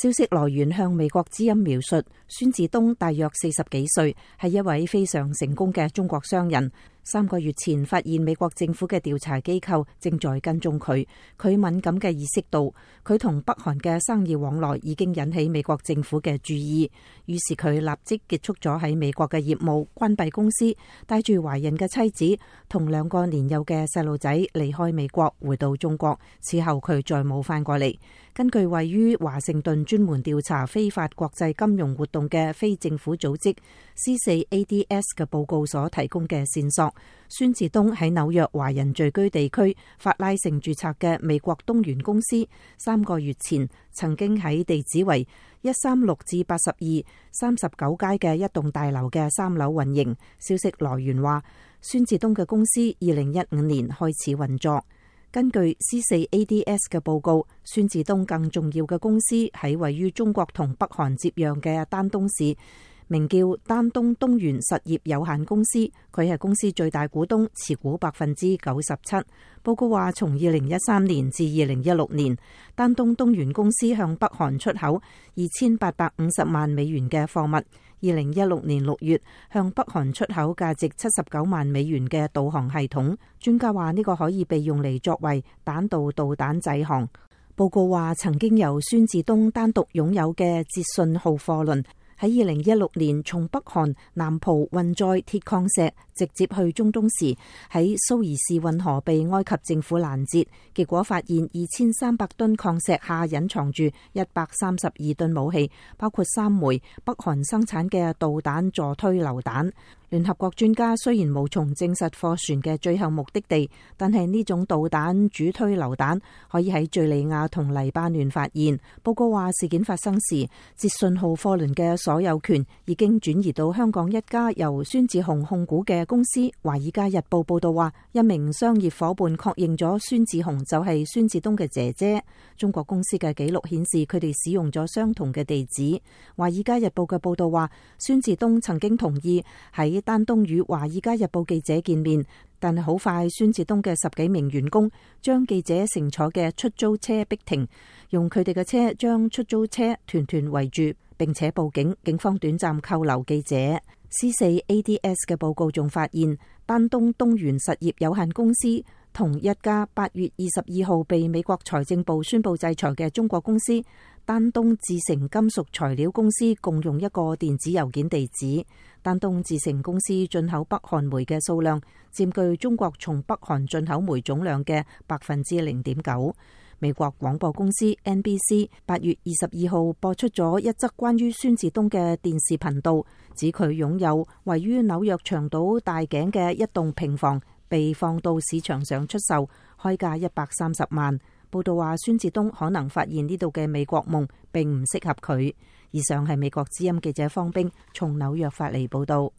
消息來源向美國之音描述，孫志東大約40幾歲，係一位非常成功嘅中國商人。3個月前發現美國政府嘅調查機構正在跟蹤佢，佢敏感嘅意識到佢同北韓嘅生意往來已經引起美國政府嘅注意，於是佢立即結束咗喺美國嘅業務，關閉公司，帶住懷孕嘅妻子同2個年幼嘅細路仔離開美國，回到中國。此後佢再冇返過嚟。根據位於華盛頓專門調查非法國際金融活動嘅非政府組織 C4ADS 嘅報告所提供嘅線索，孫志東喺紐約華人聚居地區法拉盛註冊嘅美國東元公司3個月前曾經喺地址為136至82 39街嘅一棟大樓嘅3樓運營。消息來源話，孫志東嘅公司2015年開始運作。根據 C4ADS 嘅報告，孫志東更重要嘅公司喺位於中國同北韓接壤嘅丹東市，名叫丹東東元實業有限公司，佢係公司最大股東，持股97%。報告話，從2013年至2016年，丹東東元公司向北韓出口2850萬美元嘅貨物。2016年6月，向北韓出口價值79萬美元嘅導航系統。專家話呢個可以被用嚟作為彈道導彈載航。報告話，曾經由孫志東單獨擁有嘅捷信號貨輪，喺2016年從北韓南浦運載鐵礦石直接去中東時，喺蘇伊士運河被埃及政府攔截，結果發現2300噸礦石下隱藏住132噸武器，包括3枚北韓生產嘅導彈助推榴彈。聯合國專家雖然無從證實貨船嘅最後目的地，但係呢種導彈主推榴彈可以喺敘利亞同黎巴嫩發現。報告話，事件發生時，捷信號貨輪嘅所有權已經轉移到香港一家由孫志雄控股嘅公司。華爾街日報報道話，一名商業夥伴確認咗孫志雄就係孫志東嘅姐姐。中國公司嘅記錄顯示，佢哋使用咗相同嘅地址。華爾街日報嘅報道話，孫志東曾經同意喺丹東與華爾街日報記者見面，但係好快孫志東嘅10幾名員工將記者乘坐嘅出租車逼停，用佢哋嘅車將出租車團團圍住，並且報警。警方短暫扣留記者。C4ADS 嘅報告仲發現，丹東東元實業有限公司同一家8月22號被美國財政部宣布制裁嘅中國公司丹東智成金屬材料公司共用一個電子郵件地址。丹東智成公司進口北韓煤嘅數量佔據中國從北韓進口煤總量嘅0.9%。美國廣播公司 NBC 8月22號播出咗一則關於孫志東嘅電視頻道，指佢擁有位於紐約長島大井嘅一棟平房，被放到市場上出售，開價130萬。報道話，孫志東可能發現呢度嘅美國夢並唔適合佢。以上係美國之音記者方冰從紐約發嚟報道。